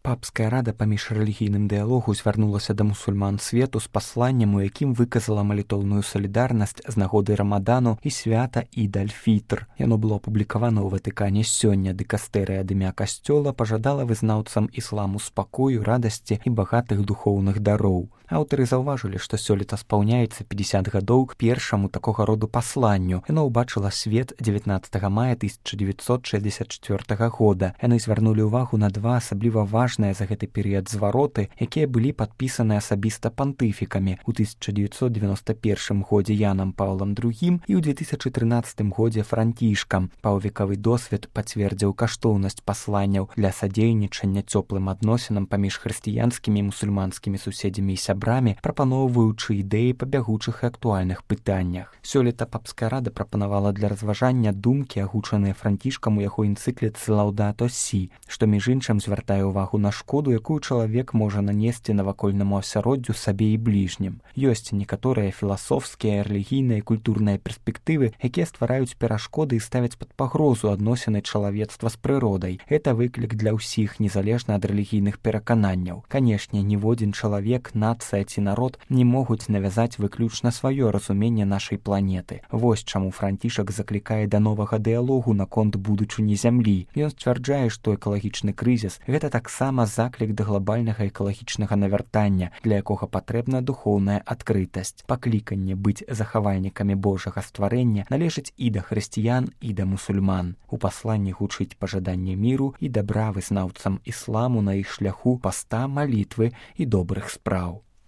Папская рада паміж рэлігійным дыялогу звярнулася да мусульман свету з пасланнем, у якім выказала малітоўную салідарнасць з нагоды рамадану і свята Ід-аль-Фітр. Яно было апублікавана ў Ватыкане сёння. Дыкастэрыя ад імя касцёла пажадала вызнаўцам ісламу спакою, радасці і багатых духоўных дароў. Аўтары заўважылі, што сёлета спаўняецца 50 гадоў к першаму такога роду пасланню. Яно ўбачыла свет 19 мая 1964 года. Яны звярнулі ўвагу на два асабліва важныя за гэты перыяд звароты, якія былі падпісаны асабіста пантыфікамі ў 1991 годзе Янам Паўлам II і ў 2013 годзе Францішкам. Паўвекавы досвед пацвердзіў каштоўнасць пасланняў для садзейнічання цёплым адносінам паміж хрысціянскімі і мусульманскімі суседзямі і сябрамі, прапаноўваючы ідэі па бягучых і актуальных пытаннях. Сёлета Папская рада прапанавала для разважання думкі, агучаныя Францішкам у яго энцыкліцы «Лаўдато Сі», што між іншым звяртае ўвагу на шкоду, якую чалавек можа нанесці навакольнаму асяроддзю сабе і бліжнім. Ёсць некаторыя філасофскія, рэлігійныя і культурныя перспектывы, якія ствараюць перашкоды і ставяць пад пагрозу адносіны чалавецтва з прыродай. Гэта выклік для ўсіх, незалежна ад рэлігійных перакананняў. Канешне, ніводзін чалавек, нацыя ці народ не могуць навязаць выключна сваё разуменне нашай планеты. Вось чаму Францішак заклікае да новага дыялогу наконт будучыні зямлі. Ён сцвярджае, што экалагічны крызіс — гэта таксама заклік да глобальнага экалагічнага навяртання, для якога патрэбна духоўная адкрытасць. Пакліканне быць захавальнікамі Божага стварэння належыць і да хрысціян, і да мусульман. У пасланні гучыць пажаданне міру і дабра вызнаўцам ісламу на іх шляху паста, малітвы і добрых спраў.